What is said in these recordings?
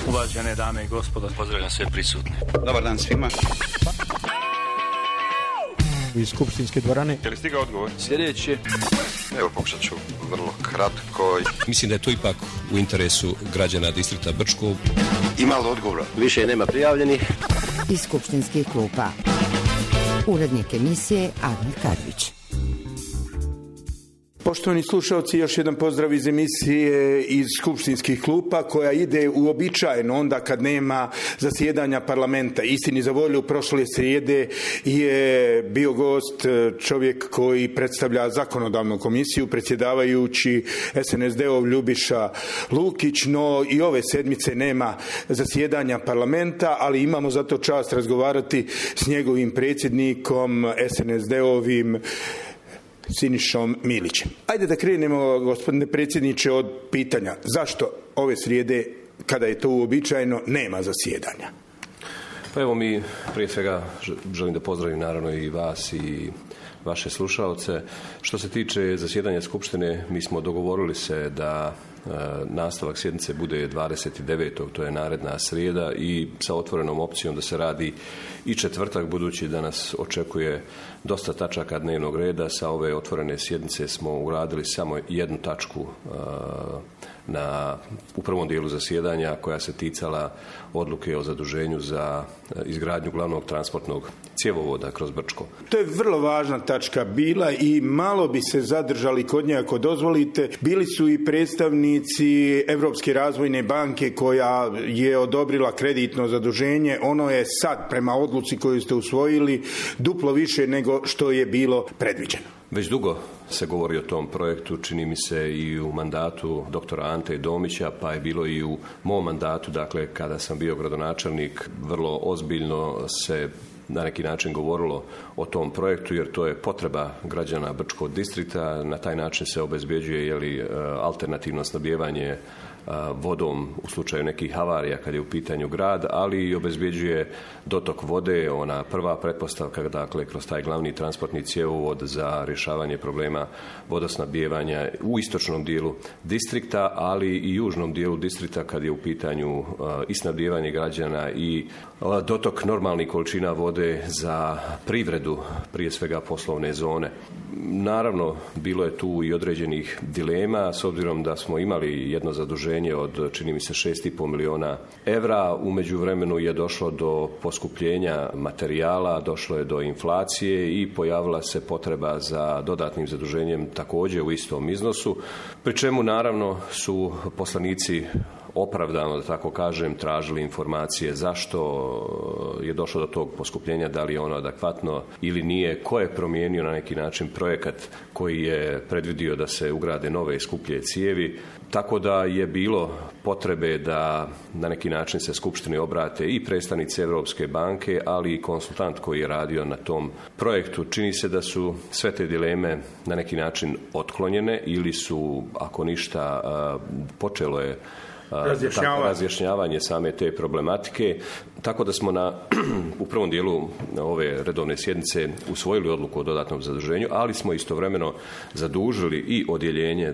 Uvažene dame i gospodo, pozdravljam sve prisutne. Dobar dan svima. Iz skupštinske dvorane. Je li stigao odgovor? Sljedeće. Evo, pokušat ću vrlo kratko. Mislim da je to ipak u interesu građana distrikta Brčko. Ima li odgovora? Više nema prijavljenih. Iz skupštinskih klupa. Urednik emisije Admir Kadrić. Poštovani slušalci, još jedan pozdrav iz emisije iz skupštinskih klupa koja ide uobičajeno onda kad nema zasjedanja parlamenta. Istini za volju, prošle srijede je bio gost čovjek koji predstavlja zakonodavnu komisiju, predsjedavajući SNSD-ov Ljubiša Lukić, no i ove sedmice nema zasjedanja parlamenta, ali imamo zato čast razgovarati s njegovim predsjednikom SNSD-ovim Sinišom Milićem. Ajde da krenemo, gospodine predsjedniče, od pitanja. Zašto ove srijede, kada je to uobičajeno, nema zasjedanja? Pa evo, mi prije svega želim da pozdravim naravno i vas i vaše slušalce. Što se tiče zasjedanja Skupštine, mi smo dogovorili se da nastavak sjednice bude 29. to je naredna srijeda, i sa otvorenom opcijom da se radi i četvrtak, budući da nas očekuje dosta tačaka dnevnog reda. Sa ove otvorene sjednice smo ugradili samo jednu tačku u prvom dijelu zasjedanja, koja se ticala odluke o zaduženju za izgradnju glavnog transportnog cjevovoda kroz Brčko. To je vrlo važna tačka bila i malo bi se zadržali kod nje ako dozvolite. Bili su i predstavnici Europske razvojne banke koja je odobrila kreditno zaduženje. Ono je sad, prema odluci koju ste usvojili, duplo više nego što je bilo predviđeno. Već dugo se govori o tom projektu, čini mi se i u mandatu doktora Ante Domića, pa je bilo i u mom mandatu, dakle kada sam bio gradonačelnik, vrlo ozbiljno se na neki način govorilo o tom projektu, jer to je potreba građana Brčkog distrikta. Na taj način se obezbjeđuje alternativno snabdijevanje vodom u slučaju nekih havarija kad je u pitanju grad, ali i obezbjeđuje dotok vode, ona prva pretpostavka, dakle kroz taj glavni transportni cjevovod za rješavanje problema vodosnabdijevanja u istočnom dijelu distrikta, ali i južnom dijelu distrikta kad je u pitanju i snabdijevanje građana i dotok normalnih količina vode za privredu, prije svega poslovne zone. Naravno, bilo je tu i određenih dilema, s obzirom da smo imali jedno zaduženje od, čini mi se, 6,5 milijuna evra. U međuvremenu je došlo do poskupljenja materijala, došlo je do inflacije i pojavila se potreba za dodatnim zaduženjem također u istom iznosu, pri čemu naravno su poslanici opravdano, da tako kažem, tražili informacije zašto je došlo do tog poskupljenja, da li je ono adekvatno ili nije, ko je promijenio na neki način projekat koji je predvidio da se ugrade nove i skuplje cijevi. Tako da je bilo potrebe da na neki način se Skupštini obrate i predstavnici Europske banke, ali i konsultant koji je radio na tom projektu. Čini se da su sve te dileme na neki način otklonjene ili su, ako ništa, počelo je razjašnjavanje same te problematike, tako da smo u prvom dijelu ove redovne sjednice usvojili odluku o dodatnom zaduženju, ali smo istovremeno zadužili i odjeljenje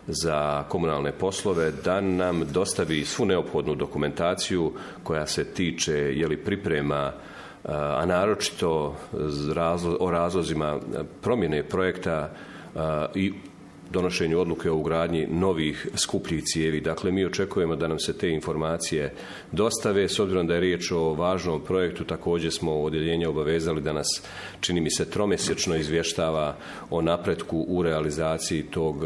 za komunalne poslove da nam dostavi svu neophodnu dokumentaciju koja se tiče priprema, a naročito o razlozima promjene projekta i donošenju odluke o ugradnji novih skupljih cijevi. Dakle, mi očekujemo da nam se te informacije dostave. S obzirom da je riječ o važnom projektu, također smo odjeljenje obavezali da nas, čini mi se, tromjesečno izvještava o napretku u realizaciji tog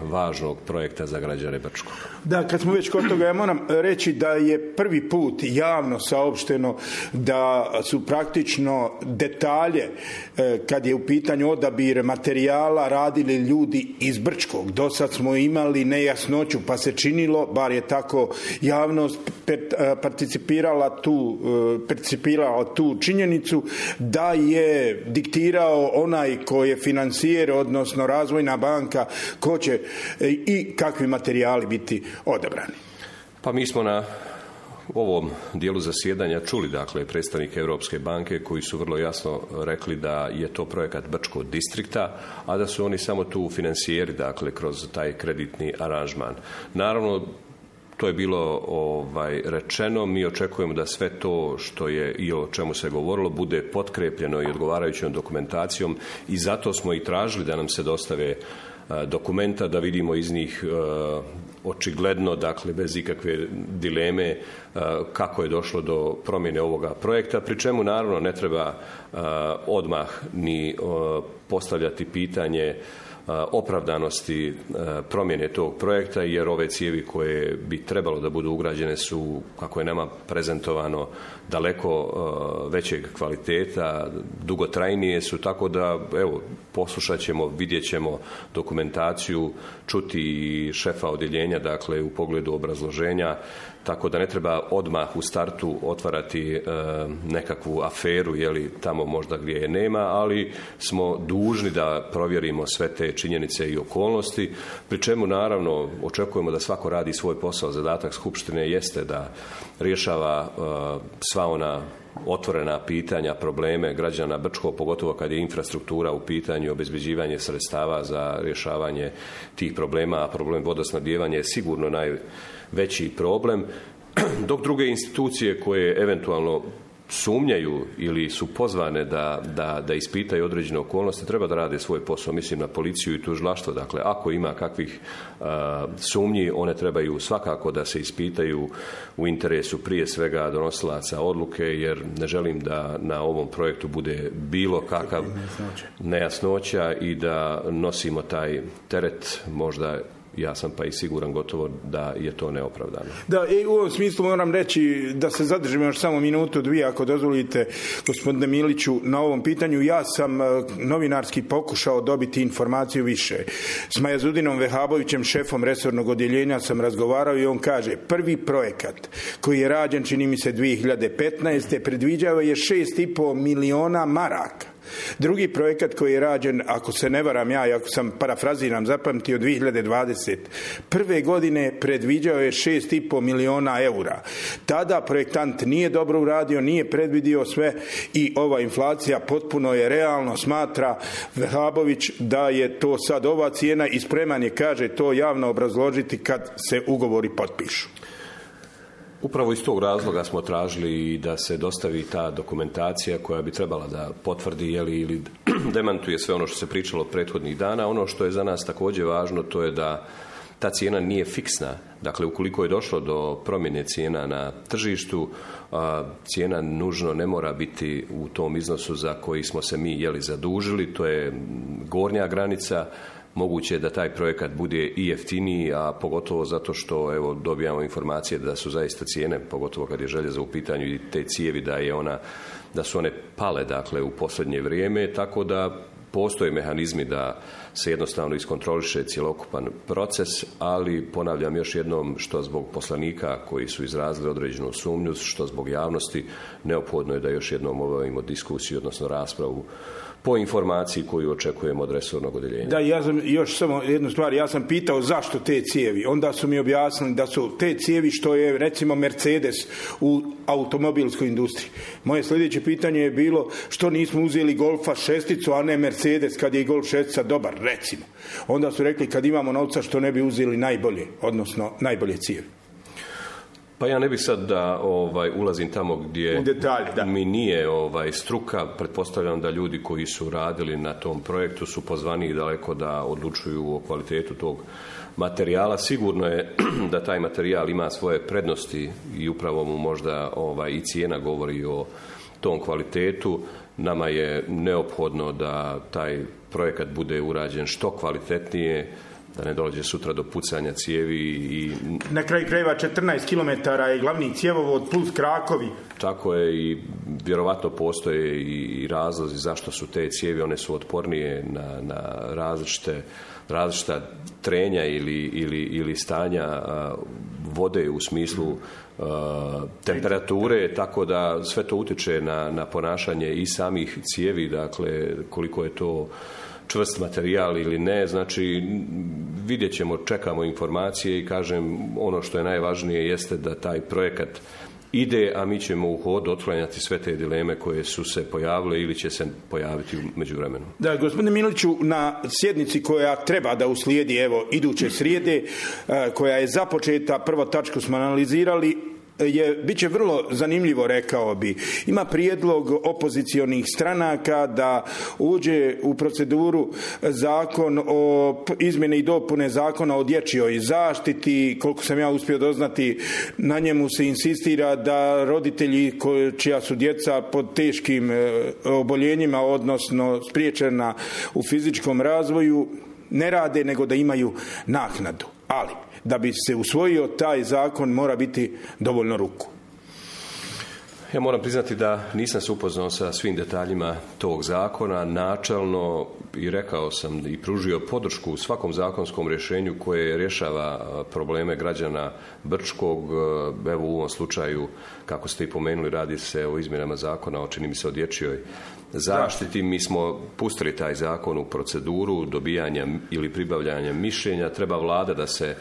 važnog projekta za građane Brčkog. Da, kad smo već kod toga, ja moram reći da je prvi put javno saopšteno da su praktično detalje, kad je u pitanju odabir materijala, radili ljudi iz Brčkog. Do sad smo imali nejasnoću, pa se činilo, bar je tako javnost percipirala tu činjenicu, da je diktirao onaj ko je financijer, odnosno razvojna banka, ko će i kakvi materijali biti odabrani. Pa mi smo na ovom dijelu zasjedanja čuli, dakle, predstavnike Europske banke koji su vrlo jasno rekli da je to projekat Brčkog distrikta, a da su oni samo tu financijeri, dakle, kroz taj kreditni aranžman. Naravno, To je bilo rečeno. Mi očekujemo da sve to što je i o čemu se govorilo bude potkrepljeno i odgovarajućom dokumentacijom i zato smo i tražili da nam se dostave dokumenta, da vidimo iz njih očigledno, dakle bez ikakve dileme, kako je došlo do promjene ovoga projekta, pri čemu naravno ne treba odmah ni postavljati pitanje opravdanosti promjene tog projekta, jer ove cijevi koje bi trebalo da budu ugrađene su, kako je nama prezentovano, daleko većeg kvaliteta, dugotrajnije su, tako da evo, poslušat ćemo, vidjet ćemo dokumentaciju, čuti i šefa odjeljenja, dakle u pogledu obrazloženja, tako da ne treba odmah u startu otvarati nekakvu aferu, jeli tamo možda gdje je nema, ali smo dužni da provjerimo sve te činjenice i okolnosti, pri čemu naravno očekujemo da svako radi svoj posao. Zadatak Skupštine jeste da rješava sva ona otvorena pitanja, probleme građana Brčkog, pogotovo kad je infrastruktura u pitanju, obezbeđivanje sredstava za rješavanje tih problema, a problem vodosnabdijevanja je sigurno najveći problem, dok druge institucije koje eventualno sumnjaju ili su pozvane da ispitaju određene okolnosti, treba da rade svoj posao, mislim na policiju i tužilaštvo. Dakle, ako ima kakvih sumnji, one trebaju svakako da se ispitaju u interesu prije svega donosilaca odluke, jer ne želim da na ovom projektu bude bilo kakav nejasnoća i da nosimo taj teret, možda ja sam pa i siguran gotovo da je to neopravdano. Da, i u ovom smislu moram reći da se zadržimo još samo minutu, dvije, ako dozvolite, gospodine Miliću, na ovom pitanju. Ja sam novinarski pokušao dobiti informaciju više. S Majazudinom Vehabovićem, šefom resornog odjeljenja, sam razgovarao i on kaže, prvi projekat koji je rađen, čini mi se 2015. predviđao je 6,5 miliona maraka. Drugi projekat koji je rađen, ako se ne varam ja, ako sam parafraziram zapamtio, 2020. Prve godine predviđao je 6,5 miliona eura. Tada projektant nije dobro uradio, nije predvidio sve i ova inflacija potpuno je realno, smatra Vehabović da je to sad ova cijena i spreman je, kaže, to javno obrazložiti kad se ugovori potpišu. Upravo iz tog razloga smo tražili da se dostavi ta dokumentacija koja bi trebala da potvrdi ili demantuje sve ono što se pričalo prethodnih dana. Ono što je za nas također važno, to je da ta cijena nije fiksna. Dakle, ukoliko je došlo do promjene cijena na tržištu, cijena nužno ne mora biti u tom iznosu za koji smo se mi zadužili. To je gornja granica. Moguće je da taj projekat bude i jeftiniji, a pogotovo zato što evo, dobijamo informacije da su zaista cijene, pogotovo kad je željeza u pitanju i te cijevi, da su one pale, dakle, u posljednje vrijeme, tako da postoje mehanizmi da se jednostavno iskontroliše cjelokupan proces, ali ponavljam još jednom, što zbog poslanika koji su izrazili određenu sumnju, što zbog javnosti, neophodno je da još jednom obavimo diskusiju, odnosno raspravu po informaciji koju očekujemo od resornog odjeljenja. Da, ja sam još samo jednu stvar, ja sam pitao zašto te cijevi, onda su mi objasnili da su te cijevi što je recimo Mercedes u automobilskoj industriji. Moje sljedeće pitanje je bilo što nismo uzeli Golfa 6, a ne Mercedes kad je i Golf 6 dobar, recimo. Onda su rekli kad imamo novca što ne bi uzeli najbolje, odnosno najbolje cijevi. Pa ja ne bih sad da ulazim tamo gdje detalj, mi nije struka. Pretpostavljam da ljudi koji su radili na tom projektu su pozvani daleko da odlučuju o kvalitetu tog materijala. Sigurno je da taj materijal ima svoje prednosti i upravo mu možda i cijena govori o tom kvalitetu. Nama je neophodno da taj projekat bude urađen što kvalitetnije, da ne dođe sutra do pucanja cijevi i... Na kraju krajeva 14 km je glavni cjevovod plus krakovi. Tako je i vjerovatno postoje i razlozi zašto su te cijevi, one su otpornije na različita trenja ili stanja vode u smislu temperature, tako da sve to utječe na ponašanje i samih cijevi, dakle koliko je to čvrst materijal ili ne, znači vidjet ćemo, čekamo informacije i kažem, ono što je najvažnije jeste da taj projekat ide, a mi ćemo u hodu otklanjati sve te dileme koje su se pojavile ili će se pojaviti u međuvremenu. Da, gospodine Miliću, na sjednici koja treba da uslijedi iduće srijede, koja je započeta, prvo tačku smo analizirali, bit će vrlo zanimljivo, rekao bi. Ima prijedlog opozicionih stranaka da uđe u proceduru zakon o izmjene i dopune zakona o dječjoj zaštiti. Koliko sam ja uspio doznati, na njemu se insistira da roditelji čija su djeca pod teškim oboljenjima, odnosno spriječena u fizičkom razvoju, ne rade, nego da imaju naknadu. Ali da bi se usvojio taj zakon mora biti dovoljno ruku. Ja moram priznati da nisam se upoznao sa svim detaljima tog zakona. Načelno i rekao sam i pružio podršku u svakom zakonskom rješenju koje rješava probleme građana Brčkog. Evo u ovom slučaju, kako ste i pomenuli, radi se o izmjenama zakona, čini mi se o dječjoj zaštiti. Mi smo pustili taj zakon u proceduru dobijanja ili pribavljanja mišljenja. Treba vlada da se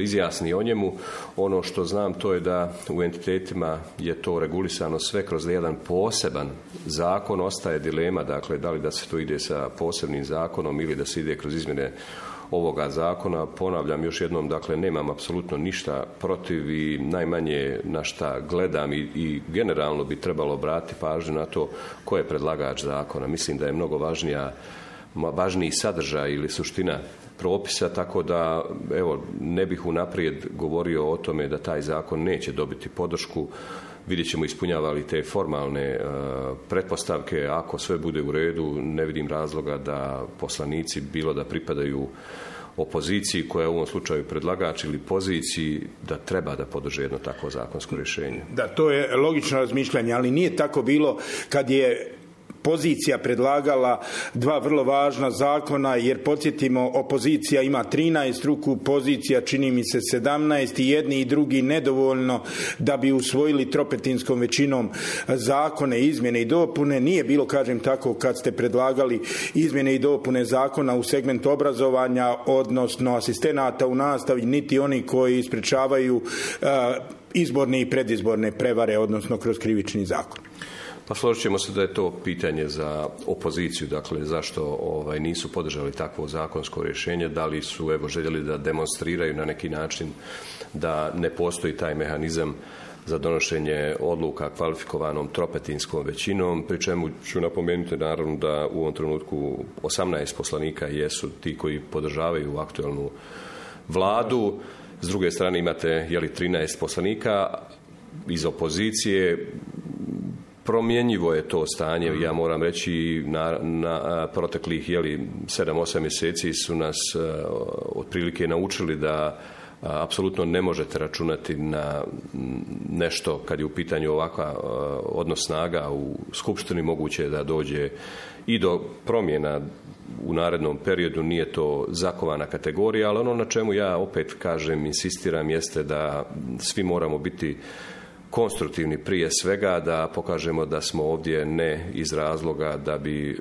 izjasni o njemu. Ono što znam, to je da u entitetima je to regulisano sve kroz jedan poseban zakon. Ostaje dilema, dakle, da li da se to ide sa posebnim zakonom ili da se ide kroz izmjene ovoga zakona. Ponavljam još jednom, dakle, nemam apsolutno ništa protiv i najmanje na šta gledam i generalno bi trebalo obratiti pažnju na to ko je predlagač zakona. Mislim da je mnogo važniji sadržaj ili suština propisa, tako da ne bih unaprijed govorio o tome da taj zakon neće dobiti podršku. Vidjet ćemo ispunjava li te formalne pretpostavke. Ako sve bude u redu, ne vidim razloga da poslanici, bilo da pripadaju opoziciji koja je u ovom slučaju predlagač ili poziciji, da treba da podrže jedno takvo zakonsko rješenje. Da, to je logično razmišljanje, ali nije tako bilo kad je pozicija predlagala dva vrlo važna zakona, jer podsjetimo, opozicija ima 13 ruku, pozicija čini mi se 17, i jedni i drugi nedovoljno da bi usvojili tropetinskom većinom zakone, izmjene i dopune. Nije bilo, kažem tako, kad ste predlagali izmjene i dopune zakona u segmentu obrazovanja, odnosno asistenata u nastavi, niti oni koji sprečavaju izborne i predizborne prevare, odnosno kroz krivični zakon. Pa složit ćemo se da je to pitanje za opoziciju, dakle zašto nisu podržali takvo zakonsko rješenje, da li su željeli da demonstriraju na neki način da ne postoji taj mehanizam za donošenje odluka kvalifikovanom tropetinskom većinom, pri čemu ću napomenuti naravno da u ovom trenutku 18 poslanika jesu ti koji podržavaju aktualnu vladu. S druge strane imate 13 poslanika iz opozicije. Promjenjivo je to stanje, ja moram reći, na proteklih 7-8 mjeseci su nas otprilike naučili da apsolutno ne možete računati na nešto kad je u pitanju ovakva odnos snaga u Skupštini. Moguće je da dođe i do promjena u narednom periodu, nije to zakovana kategorija, ali ono na čemu ja opet kažem, insistiram, jeste da svi moramo biti konstruktivni prije svega, da pokažemo da smo ovdje ne iz razloga da bi,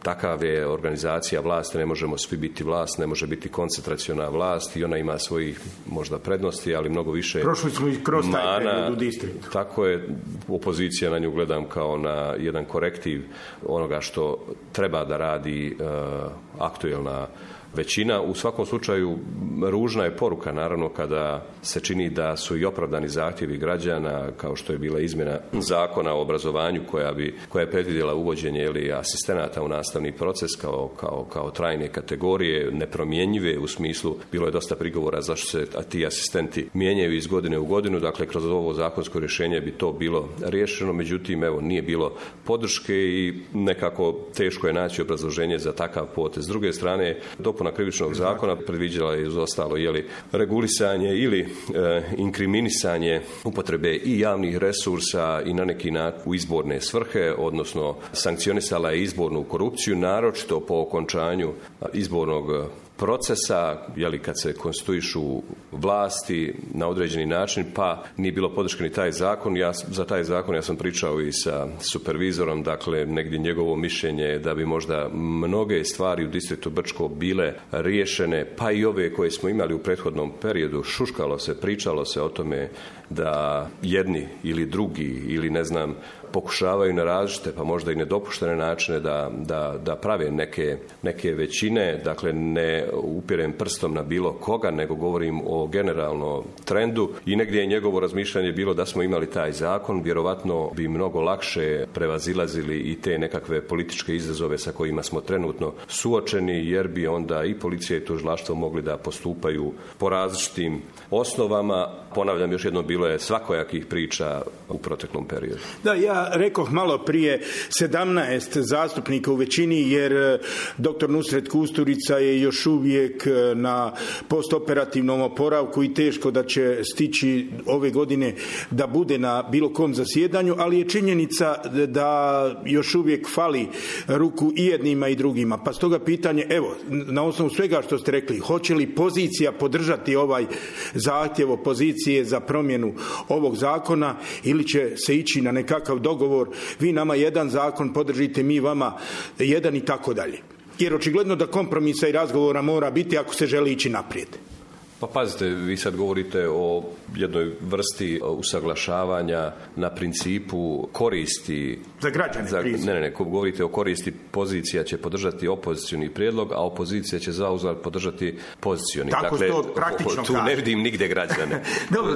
takav je organizacija vlasti, ne možemo svi biti vlast, ne može biti koncentraciona vlast i ona ima svojih možda prednosti, ali mnogo više prošli smo i kroz taj period u distriktu. Tako je, opozicija na nju gledam kao na jedan korektiv onoga što treba da radi aktuelna većina. U svakom slučaju ružna je poruka naravno kada se čini da su i opravdani zahtjevi građana, kao što je bila izmjena zakona o obrazovanju koja je predvidjela uvođenje asistenata u nastavni proces kao trajne kategorije, nepromjenjive u smislu, bilo je dosta prigovora zašto se ti asistenti mijenjaju iz godine u godinu, dakle kroz ovo zakonsko rješenje bi to bilo riješeno, međutim nije bilo podrške i nekako teško je naći obrazloženje za takav potez. S druge strane, dopuna krivičnog zakona predviđala je uz ostalo regulisanje ili inkriminisanje upotrebe i javnih resursa i na neki način u izborne svrhe, odnosno sankcionisala je izbornu korupciju, naročito po okončanju izbornog procesa, kad se konstituišu vlasti na određeni način, pa nije bilo podrške ni taj zakon. Za taj zakon ja sam pričao i sa supervizorom, dakle negdje njegovo mišljenje je da bi možda mnoge stvari u distriktu Brčko bile riješene, pa i ove koje smo imali u prethodnom periodu. Šuškalo se, pričalo se o tome da jedni ili drugi ili pokušavaju na različite, pa možda i nedopuštene načine da prave neke većine. Dakle, ne upirem prstom na bilo koga, nego govorim o generalnom trendu i negdje je njegovo razmišljanje bilo da smo imali taj zakon, vjerovatno bi mnogo lakše prevazilazili i te nekakve političke izazove sa kojima smo trenutno suočeni, jer bi onda i policija i tužilaštvo mogli da postupaju po različitim osnovama. Ponavljam, još jednom, bilo je svakojakih priča u proteklom periodu. Da, ja rekoh malo prije 17 zastupnika u većini, jer dr. Nusret Kusturica je još uvijek na postoperativnom oporavku i teško da će stići ove godine da bude na bilo kom zasjedanju, ali je činjenica da još uvijek fali ruku i jednima i drugima. Pa stoga pitanje, evo, na osnovu svega što ste rekli, hoće li pozicija podržati ovaj zahtjev opozicije za promjenu ovog zakona ili će se ići na nekakav dogovor, vi nama jedan zakon podržite, mi vama jedan i tako dalje. Jer očigledno da kompromisa i razgovora mora biti ako se želi ići naprijed. Pa pazite, vi sad govorite o jednoj vrsti usaglašavanja na principu koristi. Za građane. Ne, govorite o koristi, pozicija će podržati opozicioni prijedlog, a opozicija će zauzvrat podržati pozicioni. Tako dakle, to praktično tu ne vidim nigdje građane.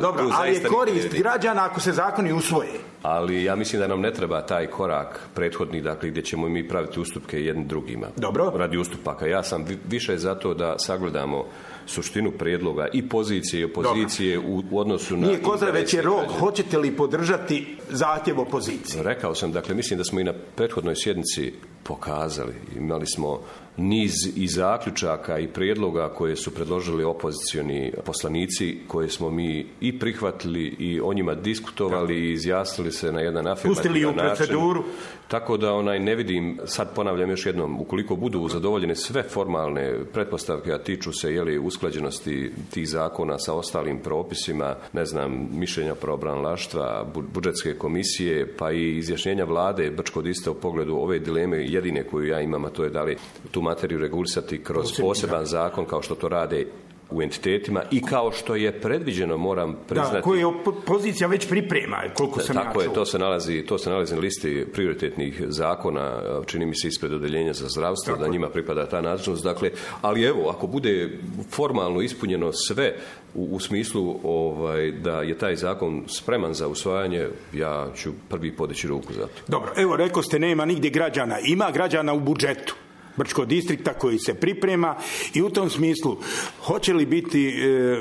Dobro, ali je korist građana ako se zakoni usvoje. Ali ja mislim da nam ne treba taj korak prethodni, dakle, gdje ćemo mi praviti ustupke jednim drugima. Dobro. Radi ustupaka. Ja sam više za to da sagledamo suštinu prijedloga i pozicije i opozicije u odnosu na... Nije koza, već je rok. Hoćete li podržati zahtjev opozicije? Rekao sam, dakle, mislim da smo i na prethodnoj sjednici pokazali. Imali smo niz i zaključaka i prijedloga koje su predložili opozicioni poslanici, koje smo mi i prihvatili i o njima diskutovali i izjasnili se na jedan afirmativan način. Pustili u proceduru. Tako da ne vidim, sad ponavljam još jednom, ukoliko budu zadovoljene sve formalne pretpostavke, a tiču se usklađenosti tih zakona sa ostalim propisima, mišljenja pravobranilaštva, budžetske komisije, pa i izjašnjenja vlade Brčko-Diste u pogledu ove dileme, jedine koju ja imam, a to je da li tu materiju regulisati kroz poseban zakon kao što to rade u entitetima i kao što je predviđeno, moram priznati. Da, koju pozicija već priprema, koliko sam tako ja čuo. To se nalazi na listi prioritetnih zakona, čini mi se ispred odeljenja za zdravstvo, tako da njima pripada ta nadležnost. Dakle, ali evo, ako bude formalno ispunjeno sve u smislu da je taj zakon spreman za usvajanje, ja ću prvi podići ruku za to. Dobro, evo, rekao ste, nema nigdje građana. Ima građana u budžetu Brčkog distrikta koji se priprema i u tom smislu hoće li biti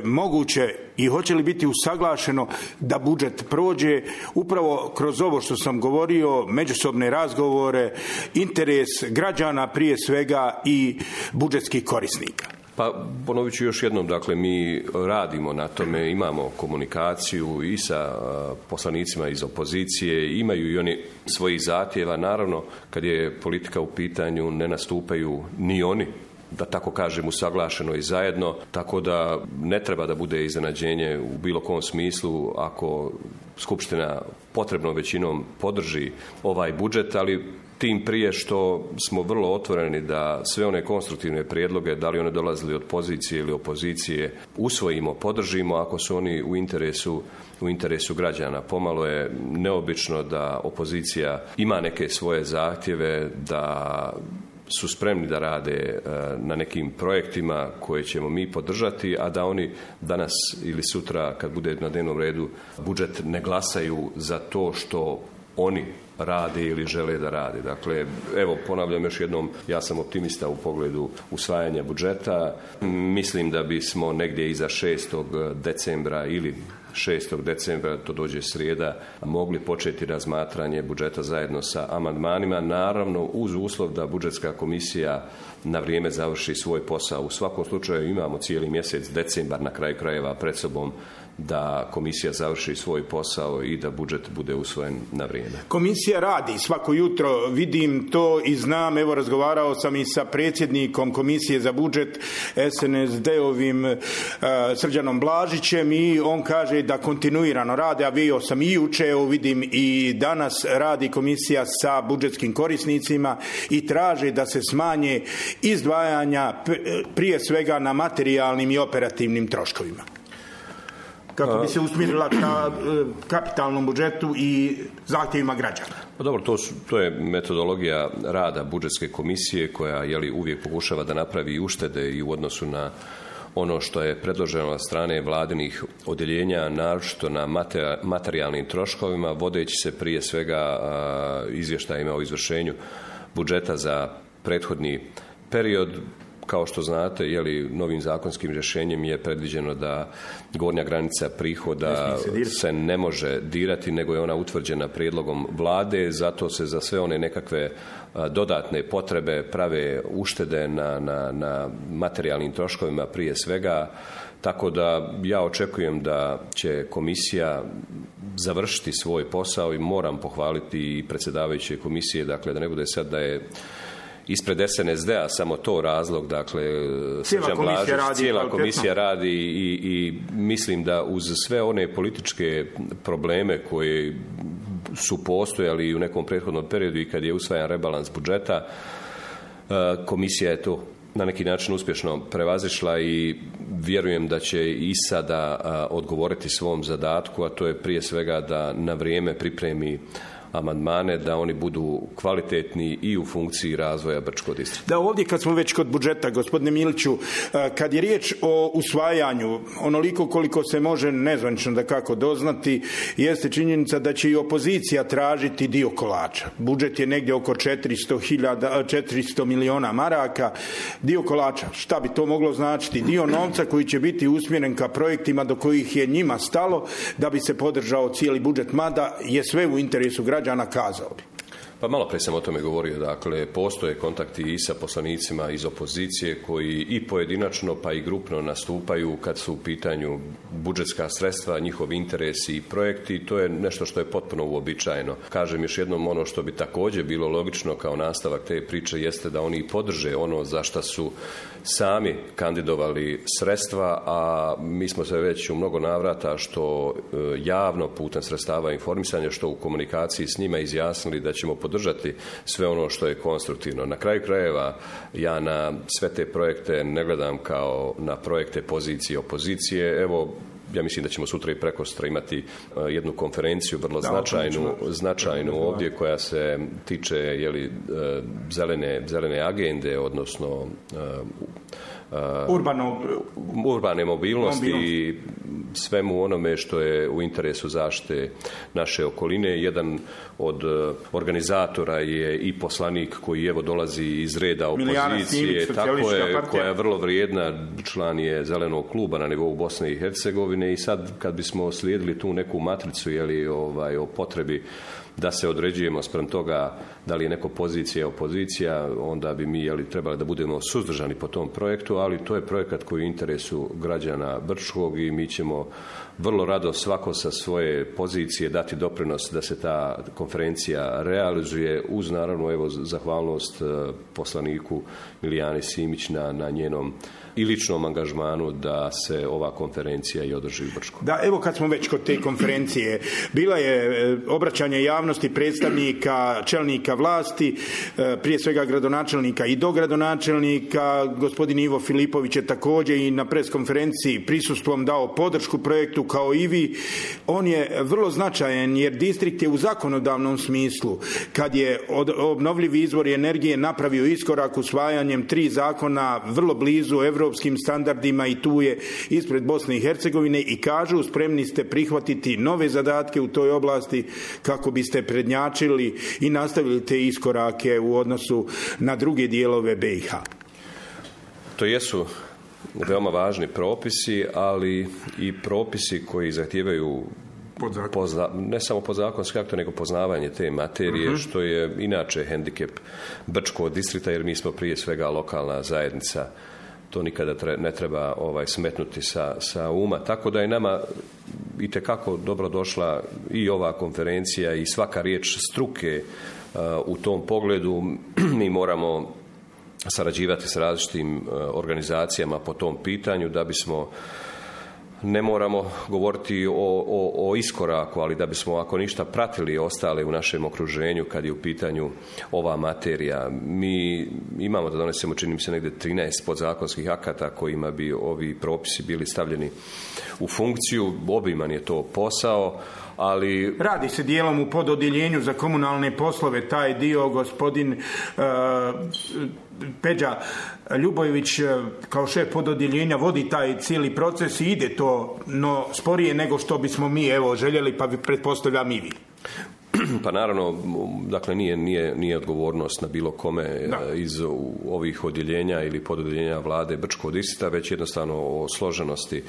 moguće i hoće li biti usaglašeno da budžet prođe upravo kroz ovo što sam govorio, međusobne razgovore, interes građana prije svega i budžetskih korisnika. Pa ponovit ću još jednom, dakle, mi radimo na tome, imamo komunikaciju i sa poslanicima iz opozicije, imaju i oni svojih zahtjeva. Naravno, kad je politika u pitanju, ne nastupaju ni oni, da tako kažem, usaglašeno i zajedno, tako da ne treba da bude iznenađenje u bilo kom smislu ako Skupština potrebnom većinom podrži ovaj budžet, ali tim prije što smo vrlo otvoreni da sve one konstruktivne prijedloge, da li one dolazili od pozicije ili opozicije, usvojimo, podržimo ako su oni u interesu građana. Pomalo je neobično da opozicija ima neke svoje zahtjeve, da su spremni da rade na nekim projektima koje ćemo mi podržati, a da oni danas ili sutra kad bude na dnevnom redu budžet ne glasaju za to što oni rade ili žele da rade. Dakle, evo, ponavljam još jednom, ja sam optimista u pogledu usvajanja budžeta. Mislim da bismo negdje iza 6. decembra ili 6. decembra, to dođe srijeda, mogli početi razmatranje budžeta zajedno sa amandmanima, naravno uz uslov da budžetska komisija na vrijeme završi svoj posao. U svakom slučaju imamo cijeli mjesec decembar na kraju krajeva pred sobom da komisija završi svoj posao i da budžet bude usvojen na vrijeme. Komisija radi svako jutro, vidim to i znam, evo razgovarao sam i sa predsjednikom Komisije za budžet SNSD-ovim Srđanom Blažićem i on kaže da kontinuirano rade, a bio sam i juče, evo vidim i danas radi komisija sa budžetskim korisnicima i traže da se smanje izdvajanja prije svega na materijalnim i operativnim troškovima, kako bi se usmjerila ka kapitalnom budžetu i zahtjevima građana. Pa dobro, to je metodologija rada budžetske komisije koja uvijek pokušava da napravi uštede i u odnosu na ono što je predloženo od strane vladinih odjeljenja, naročito na materijalnim troškovima, vodeći se prije svega izvještajima o izvršenju budžeta za prethodni period. Kao što znate, novim zakonskim rješenjem je predviđeno da gornja granica prihoda se ne može dirati, nego je ona utvrđena prijedlogom vlade, zato se za sve one nekakve dodatne potrebe prave uštede na materijalnim troškovima prije svega, tako da ja očekujem da će komisija završiti svoj posao i moram pohvaliti i predsjedavajuće komisije, dakle da ne bude sad da je ispred SNSD-a samo to razlog, dakle cijela komisija radi i mislim da uz sve one političke probleme koje su postojali u nekom prethodnom periodu i kad je usvajan rebalans budžeta, komisija je to na neki način uspješno prevazišla i vjerujem da će i sada odgovoriti svom zadatku, a to je prije svega da na vrijeme pripremi amandmane, da oni budu kvalitetni i u funkciji razvoja Brčkog distrikta. Da, ovdje kad smo već kod budžeta, gospodine Miliću, kad je riječ o usvajanju, onoliko koliko se može nezvanično da kako doznati, jeste činjenica da će i opozicija tražiti dio kolača. Budžet je negdje oko 400 miliona maraka. Dio kolača, šta bi to moglo značiti? Dio novca koji će biti usmjeren ka projektima do kojih je njima stalo da bi se podržao cijeli budžet, mada je sve u interesu građana, kazao bi. Pa malo prije sam o tome govorio, dakle postoje kontakti i sa poslanicima iz opozicije koji i pojedinačno pa i grupno nastupaju kad su u pitanju budžetska sredstva, njihovi interesi i projekti, to je nešto što je potpuno uobičajeno. Kažem još jednom, ono što bi također bilo logično kao nastavak te priče jeste da oni podrže ono za šta su sami kandidovali sredstva, a mi smo se već u mnogo navrata što javno putem sredstava informisanja, što u komunikaciji s njima izjasnili da ćemo podržati sve ono što je konstruktivno. Na kraju krajeva ja na sve te projekte ne gledam kao na projekte pozicije i opozicije. Evo, ja mislim da ćemo sutra i prekostra imati jednu konferenciju vrlo značajnu ovdje koja se tiče zelene agende, odnosno urbane mobilnosti i svemu onome što je u interesu zaštite naše okoline. Jedan od organizatora je i poslanik koji evo dolazi iz reda opozicije, tako je, koja je vrlo vrijedna, član je Zelenog kluba na nivou Bosne i Hercegovine i sad kad bismo slijedili tu neku matricu o potrebi da se određujemo spram toga da li je neko pozicija, opozicija, onda bi mi trebali da budemo suzdržani po tom projektu, ali to je projekat koji je u interesu građana Brčkog i mi ćemo vrlo rado svako sa svoje pozicije dati doprinos da se ta konferencija realizuje uz naravno zahvalnost poslaniku Milijani Simić na njenom i ličnom angažmanu da se ova konferencija i održi u Brčku. Da, evo kad smo već kod te konferencije, bila je obraćanje javnosti predstavnika čelnika vlasti, prije svega gradonačelnika i dogradonačelnika. Gospodin Ivo Filipović je također i na preskonferenciji prisusstvom dao podršku projektu kao i vi. On je vrlo značajan jer distrikt je u zakonodavnom smislu, kad je obnovljivi izvori energije napravio iskorak usvajanjem 3 zakona vrlo blizu europskim standardima i tu je ispred Bosne i Hercegovine i kažu spremni ste prihvatiti nove zadatke u toj oblasti kako biste prednjačili i nastavili te iskorake u odnosu na druge dijelove BiH. To jesu veoma važni propisi, ali i propisi koji zahtijevaju ne samo podzakonski akte, nego poznavanje te materije, što je inače hendikep Brčkog distrikta, jer mi smo prije svega lokalna zajednica to nikada ne treba smetnuti sa uma. Tako da je nama itekako dobro došla i ova konferencija i svaka riječ struke u tom pogledu. Mi moramo sarađivati s različitim organizacijama po tom pitanju da bismo, ne moramo govoriti o iskoraku, ali da bismo ako ništa pratili ostale u našem okruženju kad je u pitanju ova materija. Mi imamo da donesemo, čini mi se, negdje 13 podzakonskih akata kojima bi ovi propisi bili stavljeni u funkciju. Obiman je to posao, ali... Radi se dijelom u pododjeljenju za komunalne poslove, taj dio gospodin Peđa Ljubojević kao šef pododjeljenja vodi taj cijeli proces i ide to, no sporije nego što bismo mi željeli, pa pretpostavljam i vi. Pa naravno, dakle nije odgovornost na bilo kome iz ovih odjeljenja ili pododjeljenja vlade Brčkog distrikta, već jednostavno o složenosti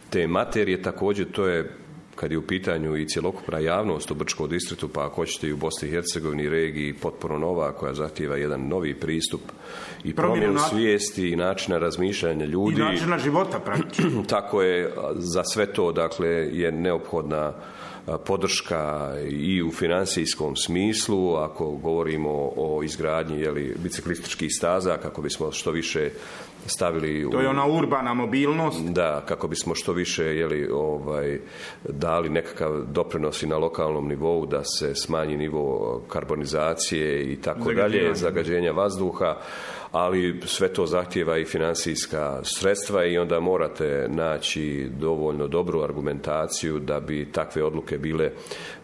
te materije. Također to je, kad je u pitanju i cjelokupna javnost u Brčkom distriktu, pa ako hoćete i u Bosni i Hercegovini, regiji potpuno nova, koja zahtijeva jedan novi pristup i promjenu svijesti i načina razmišljanja ljudi. I načina života praktično. Tako je, za sve to dakle je neophodna podrška i u financijskom smislu, ako govorimo o izgradnji biciklističkih staza, kako bismo što više stavili to je ona urbana mobilnost. Da, kako bismo što više dali nekakav doprinos i na lokalnom nivou da se smanji nivo karbonizacije i tako dalje, zagađenja vazduha, ali sve to zahtijeva i financijska sredstva i onda morate naći dovoljno dobru argumentaciju da bi takve odluke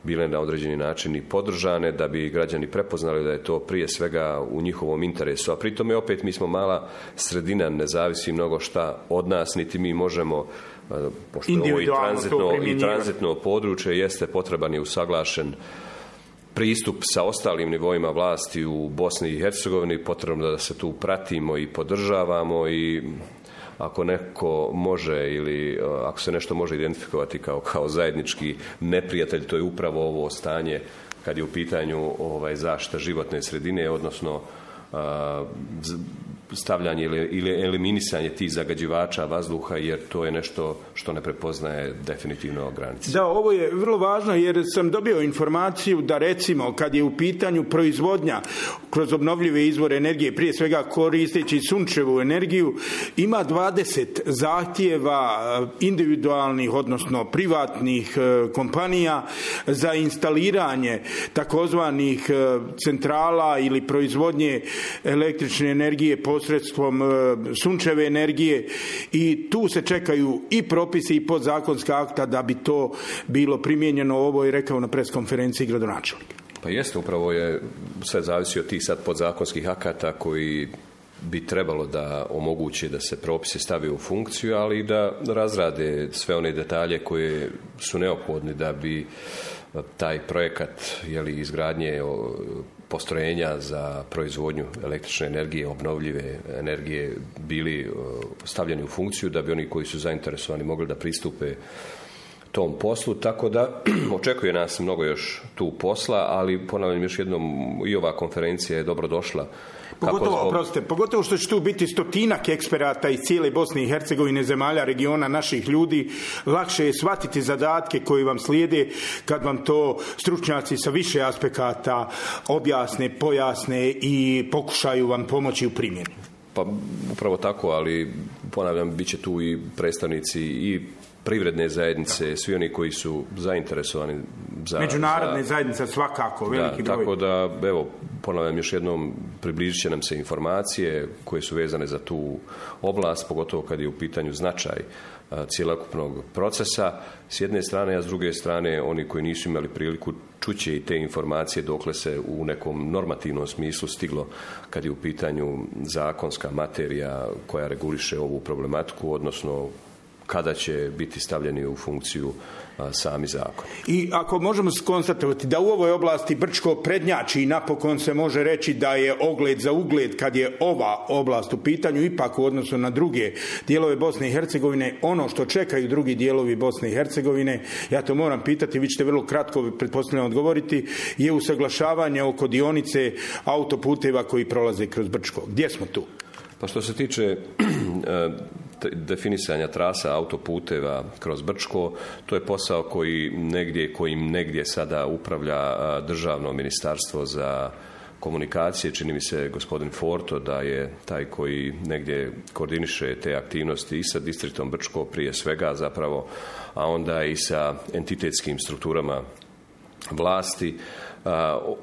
bile na određeni način i podržane, da bi građani prepoznali da je to prije svega u njihovom interesu. A pritom je opet, mi smo mala sredina, ne zavisi mnogo šta od nas, niti mi možemo, pošto ovo i tranzitno područje jeste, potreban je usaglašen pristup sa ostalim nivoima vlasti u Bosni i Hercegovini, potrebno da se tu pratimo i podržavamo i ako neko može ili ako se nešto može identifikovati kao zajednički neprijatelj, to je upravo ovo stanje kad je u pitanju zaštita životne sredine, odnosno stavljanje ili eliminisanje tih zagađivača vazduha, jer to je nešto što ne prepoznaje definitivno granice. Da, ovo je vrlo važno jer sam dobio informaciju da recimo kad je u pitanju proizvodnja kroz obnovljive izvore energije, prije svega koristeći sunčevu energiju, ima 20 zahtjeva individualnih, odnosno privatnih kompanija za instaliranje takozvanih centrala ili proizvodnje električne energije posredstvom sunčeve energije i tu se čekaju i propisi i podzakonska akta da bi to bilo primijenjeno. Ovo je rekao na preskonferenciji gradonačelnik. Pa jeste, upravo je sve zavisi od tih sad podzakonskih akata koji bi trebalo da omogući da se propisi stave u funkciju, ali i da razrade sve one detalje koje su neophodni da bi taj projekat izgradnje postrojenja za proizvodnju električne energije, obnovljive energije bili stavljeni u funkciju, da bi oni koji su zainteresovani mogli da pristupe tom poslu, tako da očekuje nas mnogo još tu posla, ali ponavljam još jednom, i ova konferencija je dobro došla. Pogotovo što će tu biti 100-ak eksperata iz cijele Bosne i Hercegovine, zemalja, regiona, naših ljudi. Lakše je shvatiti zadatke koji vam slijede kad vam to stručnjaci sa više aspekata objasne, pojasne i pokušaju vam pomoći u primjeni. Pa upravo tako, ali ponavljam, bit će tu i predstavnici i privredne zajednice, svi oni koji su zainteresovani za... Međunarodne zajednice svakako, veliki broj. Tako da, evo, ponavljam još jednom, približit će nam se informacije koje su vezane za tu oblast, pogotovo kad je u pitanju značaj cjelokupnog procesa s jedne strane, a s druge strane oni koji nisu imali priliku čuće i te informacije dokle se u nekom normativnom smislu stiglo kad je u pitanju zakonska materija koja reguliše ovu problematiku, odnosno kada će biti stavljeni u funkciju sami zakon. I ako možemo konstatovati da u ovoj oblasti Brčko prednjači i napokon se može reći da je ogled za ugled kad je ova oblast u pitanju, ipak u odnosu na druge dijelove Bosne i Hercegovine, ono što čekaju drugi dijelovi Bosne i Hercegovine, ja to moram pitati, vi ćete vrlo kratko pretpostavljam odgovoriti, je usaglašavanje oko dionice autoputeva koji prolaze kroz Brčko. Gdje smo tu? Pa što se tiče definisanja trasa autoputeva kroz Brčko, to je posao kojim negdje sada upravlja Državno ministarstvo za komunikacije. Čini mi se gospodin Forto da je taj koji negdje koordiniše te aktivnosti i sa distriktom Brčko prije svega zapravo, a onda i sa entitetskim strukturama vlasti.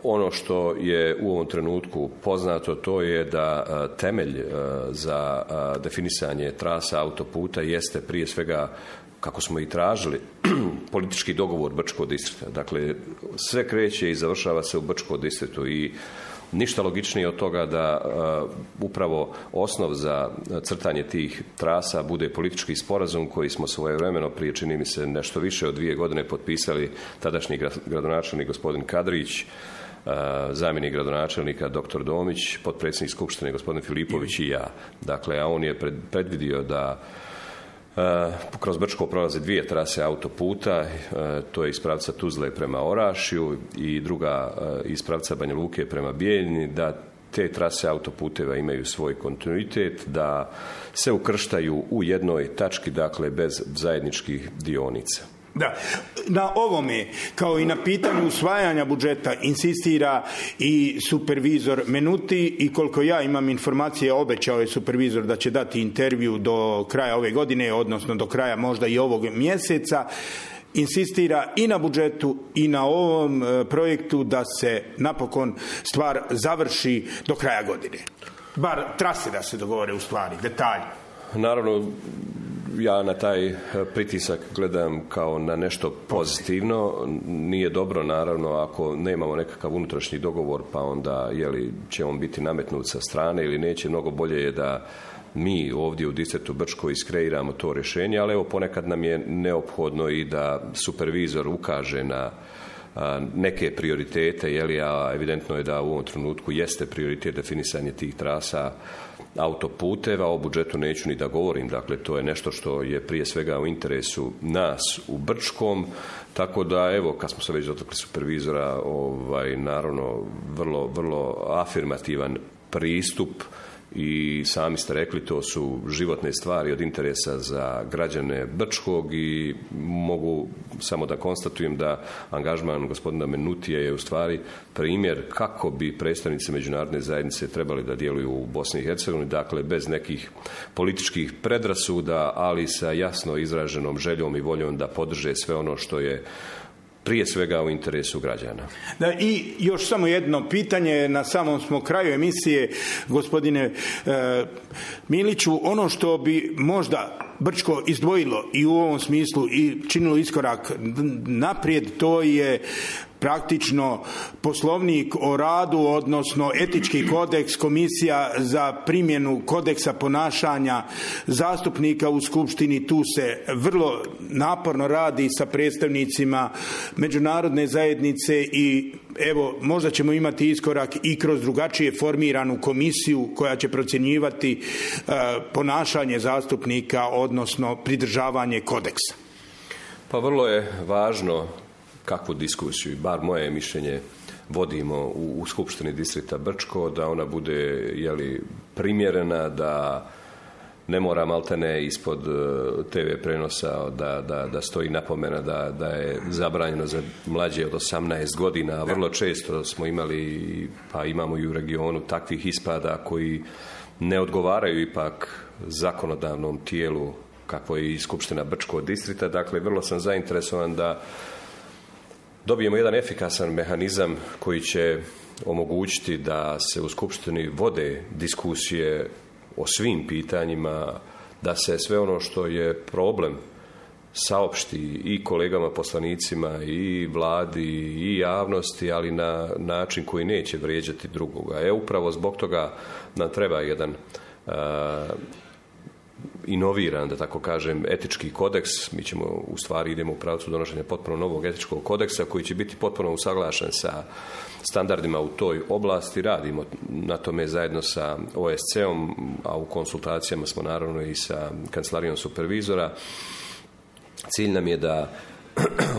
Ono što je u ovom trenutku poznato, to je da temelj za definisanje trasa autoputa jeste prije svega, kako smo i tražili, politički dogovor Brčkog distrikta. Dakle, sve kreće i završava se u Brčkom distriktu i ništa logičnije od toga da upravo osnov za crtanje tih trasa bude politički sporazum koji smo svojevremeno prije, čini mi se, nešto više od 2 godine potpisali tadašnji gradonačelnik gospodin Kadrić, zamjenik gradonačelnika dr. Domić, potpredsjednik skupštine gospodin Filipović i ja. Dakle, a on je predvidio da kroz Brčko prolaze 2 trase autoputa, to je iz pravca Tuzle prema Orašju i druga iz pravca Banja Luke prema Bijeljini, da te trase autoputeva imaju svoj kontinuitet, da se ukrštaju u jednoj tački, dakle bez zajedničkih dionica. Da, na ovome, kao i na pitanju usvajanja budžeta, insistira i supervizor Menuti i koliko ja imam informacije, obećao je supervizor da će dati intervju do kraja ove godine, odnosno do kraja možda i ovog mjeseca. Insistira i na budžetu i na ovom projektu da se napokon stvar završi do kraja godine. Bar trase da se dogovore u stvari, detalji. Naravno, ja na taj pritisak gledam kao na nešto pozitivno. Nije dobro, naravno, ako nemamo nekakav unutrašnji dogovor, pa onda će on biti nametnut sa strane ili neće. Mnogo bolje je da mi ovdje u distriktu Brčko iskreiramo to rješenje, ali evo ponekad nam je neophodno i da supervizor ukaže na neke prioritete, a evidentno je da u ovom trenutku jeste prioritet definisanje tih trasa autoputeva. O budžetu neću ni da govorim, dakle to je nešto što je prije svega u interesu nas u Brčkom, tako da evo, kad smo se već dotakli supervizora, naravno vrlo, vrlo afirmativan pristup i sami ste rekli, to su životne stvari od interesa za građane Brčkog i mogu samo da konstatujem da angažman gospodina Menutija je u stvari primjer kako bi predstavnici međunarodne zajednice trebali da djeluju u Bosni i Hercegovini, dakle bez nekih političkih predrasuda, ali sa jasno izraženom željom i voljom da podrže sve ono što je prije svega u interesu građana. Da, i još samo jedno pitanje, na samom smo kraju emisije, gospodine Miliću, ono što bi možda Brčko izdvojilo i u ovom smislu i činilo iskorak naprijed, to je praktično poslovnik o radu, odnosno etički kodeks, komisija za primjenu kodeksa ponašanja zastupnika u Skupštini. Tu se vrlo naporno radi sa predstavnicima međunarodne zajednice i evo, možda ćemo imati iskorak i kroz drugačije formiranu komisiju koja će procjenjivati ponašanje zastupnika, odnosno pridržavanje kodeksa. Pa vrlo je važno kakvu diskusiju, bar moje mišljenje, vodimo u Skupštini distrikta Brčko, da ona bude primjerena, da ne mora maltene ispod TV prenosa da stoji napomena da je zabranjeno za mlađe od 18 godina. Vrlo često smo imali, pa imamo i u regionu, takvih ispada koji ne odgovaraju ipak zakonodavnom tijelu kakvo je i Skupština Brčkog distrikta. Dakle, vrlo sam zainteresovan da dobijemo jedan efikasan mehanizam koji će omogućiti da se u Skupštini vode diskusije o svim pitanjima, da se sve ono što je problem saopšti i kolegama poslanicima i vladi i javnosti, ali na način koji neće vrijeđati drugoga. Upravo zbog toga nam treba jedan inoviran, da tako kažem, etički kodeks. Mi ćemo, u stvari, idemo u pravcu donošenja potpuno novog etičkog kodeksa koji će biti potpuno usaglašen sa standardima u toj oblasti. Radimo na tome zajedno sa OSCE-om, a u konsultacijama smo naravno i sa kancelarijom supervizora. Cilj nam je da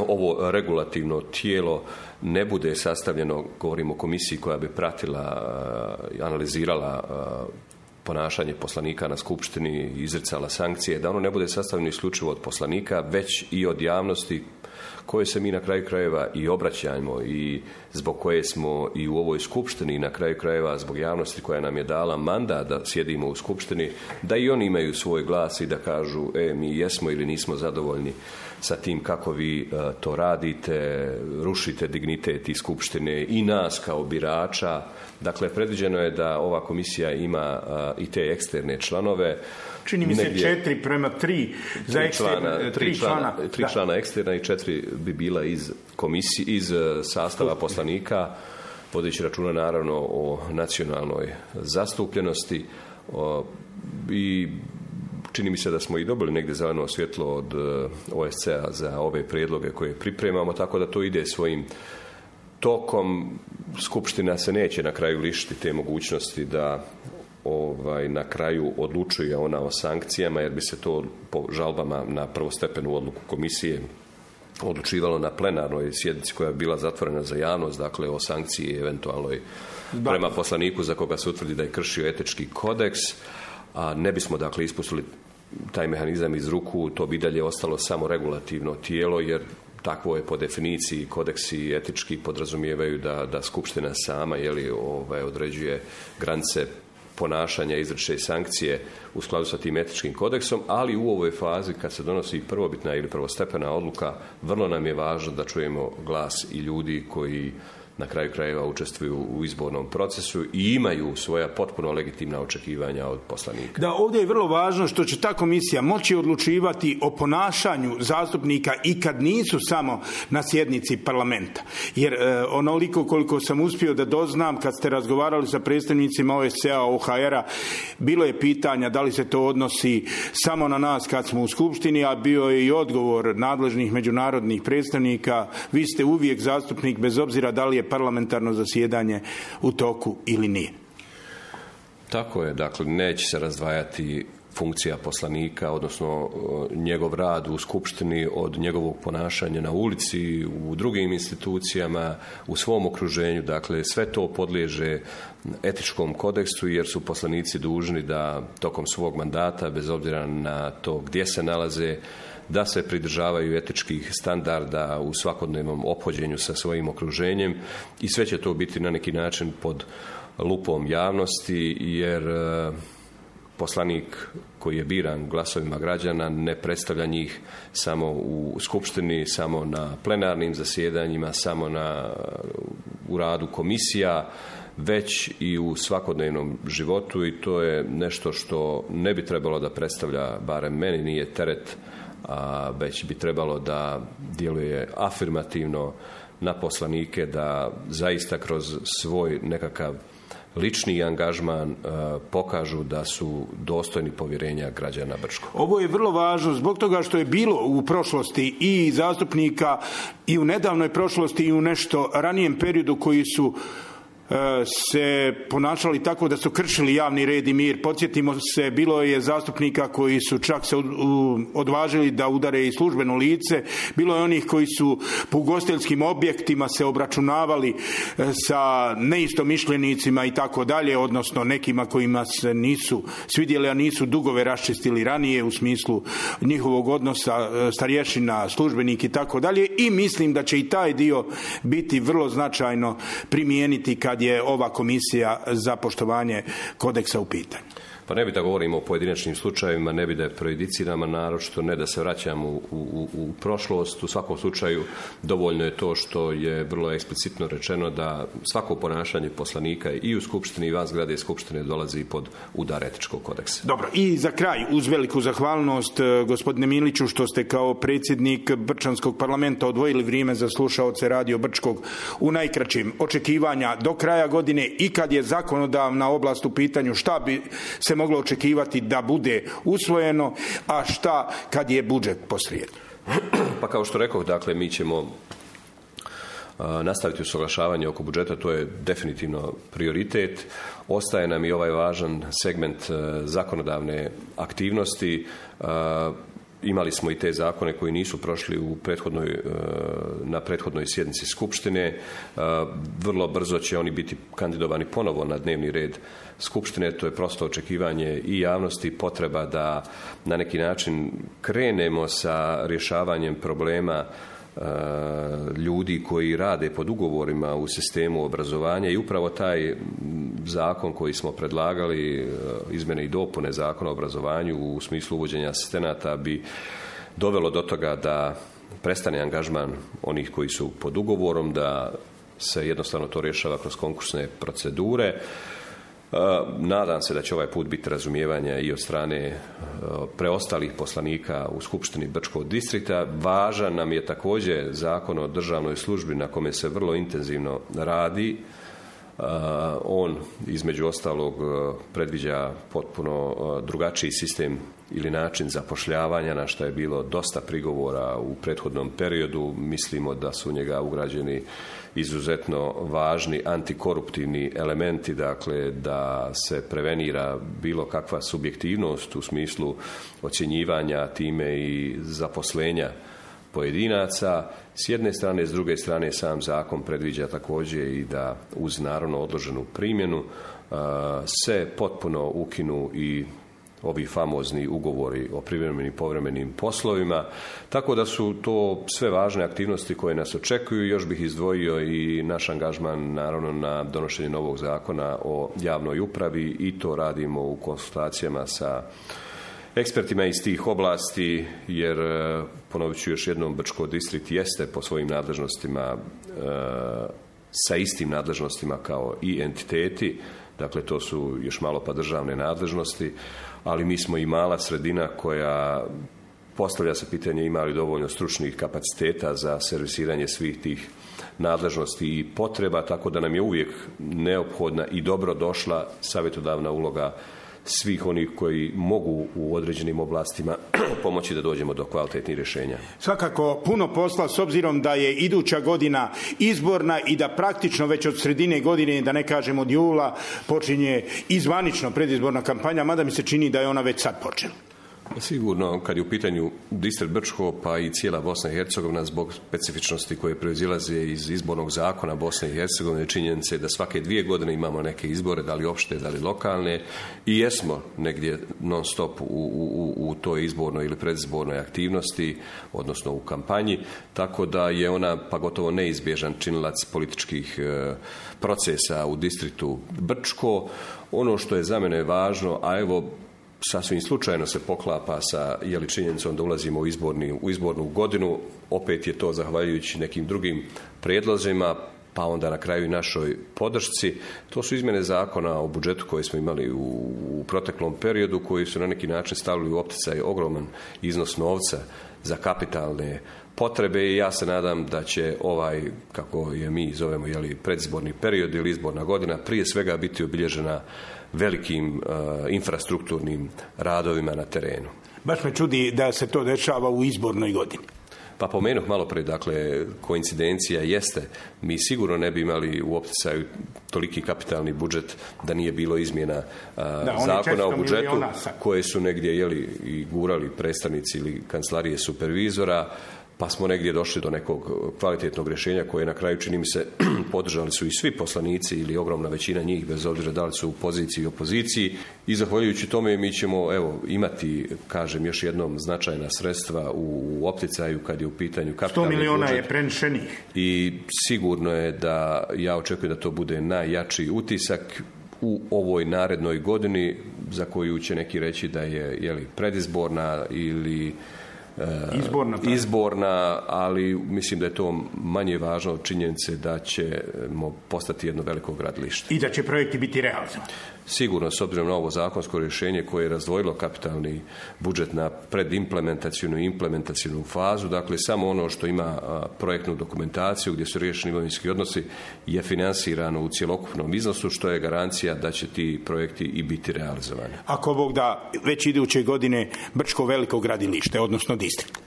ovo regulativno tijelo ne bude sastavljeno, govorimo o komisiji koja bi pratila, analizirala ponašanje poslanika na skupštini izricala sankcije, da ono ne bude sastavljeno isključivo od poslanika, već i od javnosti koje se mi na kraju krajeva i obraćajmo i zbog koje smo i u ovoj skupštini i na kraju krajeva zbog javnosti koja nam je dala mandat da sjedimo u skupštini, da i oni imaju svoj glas i da kažu mi jesmo ili nismo zadovoljni sa tim kako vi to radite, rušite dignitet i skupštine i nas kao birača. Dakle, predviđeno je da ova komisija ima i te eksterne članove. Čini mi se 4:3 za eksterne, 3 člana eksterna i 4 bi bila iz sastava poslanika, vodeći računa naravno o nacionalnoj zastupljenosti i čini mi se da smo i dobili negdje zeleno svjetlo od OSCE-a za ove prijedloge koje pripremamo, tako da to ide svojim tokom. Skupština se neće na kraju lišiti te mogućnosti da na kraju odlučuje ona o sankcijama, jer bi se to po žalbama na prvostepenu odluku komisije odlučivalo na plenarnoj sjednici koja je bila zatvorena za javnost, dakle o sankciji eventualnoj prema poslaniku za koga se utvrdi da je kršio etički kodeks, a ne bismo dakle ispustili taj mehanizam iz ruku, to bi dalje ostalo samo regulativno tijelo, jer takvo je po definiciji, kodeksi etički podrazumijevaju da skupština sama određuje granice ponašanja, izriče sankcije u skladu sa tim etičkim kodeksom, ali u ovoj fazi kad se donosi prvobitna ili prvostepena odluka, vrlo nam je važno da čujemo glas i ljudi koji na kraju krajeva učestvuju u izbornom procesu i imaju svoja potpuno legitimna očekivanja od poslanika. Da, ovdje je vrlo važno što će ta komisija moći odlučivati o ponašanju zastupnika i kad nisu samo na sjednici parlamenta. Jer onoliko koliko sam uspio da doznam, kad ste razgovarali sa predstavnicima OSCE-a, OHR-a, bilo je pitanja da li se to odnosi samo na nas kad smo u skupštini, a bio je i odgovor nadležnih međunarodnih predstavnika, vi ste uvijek zastupnik bez obzira da li je parlamentarno zasjedanje u toku ili nije. Tako je, dakle neće se razdvajati funkcija poslanika, odnosno njegov rad u skupštini od njegovog ponašanja na ulici, u drugim institucijama, u svom okruženju. Dakle, sve to podliježe etičkom kodeksu jer su poslanici dužni da tokom svog mandata, bez obzira na to gdje se nalaze, da se pridržavaju etičkih standarda u svakodnevnom ophođenju sa svojim okruženjem i sve će to biti na neki način pod lupom javnosti jer poslanik koji je biran glasovima građana ne predstavlja njih samo u skupštini, samo na plenarnim zasjedanjima, samo u radu komisija, već i u svakodnevnom životu i to je nešto što ne bi trebalo da predstavlja, barem meni nije teret, već bi trebalo da djeluje afirmativno na poslanike, da zaista kroz svoj nekakav lični angažman pokažu da su dostojni povjerenja građana Brčkog. Ovo je vrlo važno zbog toga što je bilo u prošlosti i zastupnika i u nedavnoj prošlosti i u nešto ranijem periodu koji su se ponašali tako da su kršili javni red i mir. Podsjetimo se, bilo je zastupnika koji su čak se odvažili da udare i službeno lice, bilo je onih koji su po ugostiteljskim objektima se obračunavali sa neistomišljenicima i tako dalje, odnosno nekima kojima se nisu svidjeli, a nisu dugove raščistili ranije u smislu njihovog odnosa starješina, službenik i tako dalje, i mislim da će i taj dio biti vrlo značajno primijeniti kad je ova komisija za poštovanje kodeksa u pitanju. Pa ne bi da govorimo o pojedinačnim slučajevima, ne bi da prejudiciramo, naročito ne da se vraćamo u prošlost. U svakom slučaju dovoljno je to što je vrlo eksplicitno rečeno da svako ponašanje poslanika i u skupštini i van zgrade skupštine dolazi pod udar etičkog kodeksa. Dobro, i za kraj, uz veliku zahvalnost gospodine Miliću što ste kao predsjednik Brčanskog parlamenta odvojili vrijeme za slušaoce Radio Brčkog u najkraćim očekivanja do kraja godine i kad je zakonodavna oblast u pitanju, šta bi se moglo očekivati da bude usvojeno, a šta kad je budžet posrijedi? Pa kao što rekoh, dakle, mi ćemo nastaviti usuglašavanje oko budžeta, to je definitivno prioritet. Ostaje nam i ovaj važan segment zakonodavne aktivnosti imali smo i te zakone koji nisu prošli na prethodnoj sjednici Skupštine. Vrlo brzo će oni biti kandidovani ponovo na dnevni red Skupštine. To je prosto očekivanje i javnosti, potreba da na neki način krenemo sa rješavanjem problema ljudi koji rade pod ugovorima u sistemu obrazovanja i upravo taj zakon koji smo predlagali, izmjene i dopune Zakona o obrazovanju u smislu uvođenja asistenata, bi dovelo do toga da prestane angažman onih koji su pod ugovorom, da se jednostavno to rješava kroz konkursne procedure. Nadam se da će ovaj put biti razumijevanja i od strane preostalih poslanika u Skupštini Brčkog distrikta. Važan nam je također Zakon o državnoj službi na kome se vrlo intenzivno radi. On između ostalog predviđa potpuno drugačiji sistem ili način zapošljavanja, na što je bilo dosta prigovora u prethodnom periodu. Mislimo da su u njega ugrađeni izuzetno važni antikoruptivni elementi, dakle da se prevenira bilo kakva subjektivnost u smislu ocjenjivanja, time i zaposlenja pojedinaca. S jedne strane, s druge strane sam zakon predviđa također i da uz naravno odloženu primjenu se potpuno ukinu i ovi famozni ugovori o privremenim i povremenim poslovima, tako da su to sve važne aktivnosti koje nas očekuju. Još bih izdvojio i naš angažman naravno na donošenje novog zakona o javnoj upravi i to radimo u konsultacijama sa ekspertima iz tih oblasti, jer ponovit ću još jednom, Brčko distrikt jeste po svojim nadležnostima sa istim nadležnostima kao i entiteti, dakle to su još malo pa državne nadležnosti, ali mi smo i mala sredina koja postavlja se pitanje ima li dovoljno stručnih kapaciteta za servisiranje svih tih nadležnosti i potreba, tako da nam je uvijek neophodna i dobro došla savjetodavna uloga svih onih koji mogu u određenim oblastima pomoći da dođemo do kvalitetnih rješenja. Svakako puno posla s obzirom da je iduća godina izborna i da praktično već od sredine godine, da ne kažem od jula, počinje izvanično predizborna kampanja, mada mi se čini da je ona već sad počela. Sigurno, kad je u pitanju distrikt Brčko, pa i cijela Bosna i Hercegovina, zbog specifičnosti koje proizilaze iz izbornog zakona Bosne i Hercegovine, činjenice da svake 2 godine imamo neke izbore, da li opšte, da li lokalne, i jesmo negdje non stop u toj izbornoj ili predizbornoj aktivnosti, odnosno u kampanji, tako da je ona pa gotovo neizbježan činilac političkih procesa u distriktu Brčko. Ono što je za mene važno, a evo sasvim slučajno se poklapa sa činjenicom da ulazimo u izbornu godinu, opet je to zahvaljujući nekim drugim prijedlozima, pa onda na kraju i našoj podršci. To su izmjene zakona o budžetu koje smo imali u proteklom periodu, koji su na neki način stavili u opticaj ogroman iznos novca za kapitalne potrebe i ja se nadam da će ovaj, kako je mi zovemo, predizborni period ili izborna godina, prije svega biti obilježena velikim infrastrukturnim radovima na terenu. Baš me čudi da se to dešava u izbornoj godini. Pa pomenuh malo prije, dakle, koincidencija jeste. Mi sigurno ne bi imali u opticaju toliki kapitalni budžet da nije bilo izmjena zakona o budžetu koje su negdje i gurali predstavnici ili kancelarije supervizora, pa smo negdje došli do nekog kvalitetnog rješenja koje na kraju, čini mi se, podržali su i svi poslanici ili ogromna većina njih, bez obzira da li su u poziciji i opoziciji, i zahvaljujući tome mi ćemo imati, kažem još jednom, značajna sredstva u opticaju kad je u pitanju kapitalni budžet. 100 milijuna je prenešenih. I sigurno je da ja očekujem da to bude najjači utisak u ovoj narednoj godini, za koju će neki reći da je predizborna ili izborna, ali mislim da je to manje važno od činjenice da ćemo postati jedno veliko gradilište. I da će projekti biti realizovani. Sigurno, s obzirom na ovo zakonsko rješenje koje je razdvojilo kapitalni budžet na predimplementacijnu i implementacijnu fazu, dakle samo ono što ima projektnu dokumentaciju gdje su riješeni imovinski odnosi je finansirano u cjelokupnom iznosu, što je garancija da će ti projekti i biti realizovani. Ako Bog da, već iduće godine Brčko veliko gradilište, odnosno distrikt.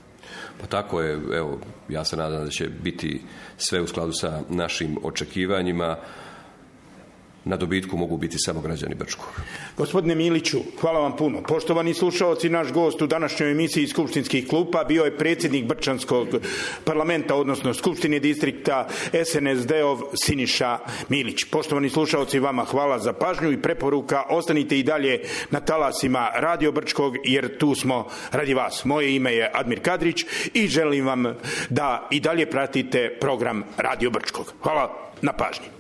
Pa tako je, evo, ja se nadam da će biti sve u skladu sa našim očekivanjima. na dobitku mogu biti samo građani Brčkog. Gospodine Miliću, hvala vam puno. Poštovani slušaoci, naš gost u današnjoj emisiji Skupštinskih klupa bio je predsjednik Brčanskog parlamenta, odnosno Skupštine distrikta SNSD-ov Siniša Milić. Poštovani slušaoci, vama hvala za pažnju i preporuka. Ostanite i dalje na talasima Radio Brčkog, jer tu smo radi vas. Moje ime je Admir Kadrić i želim vam da i dalje pratite program Radio Brčkog. Hvala na pažnji.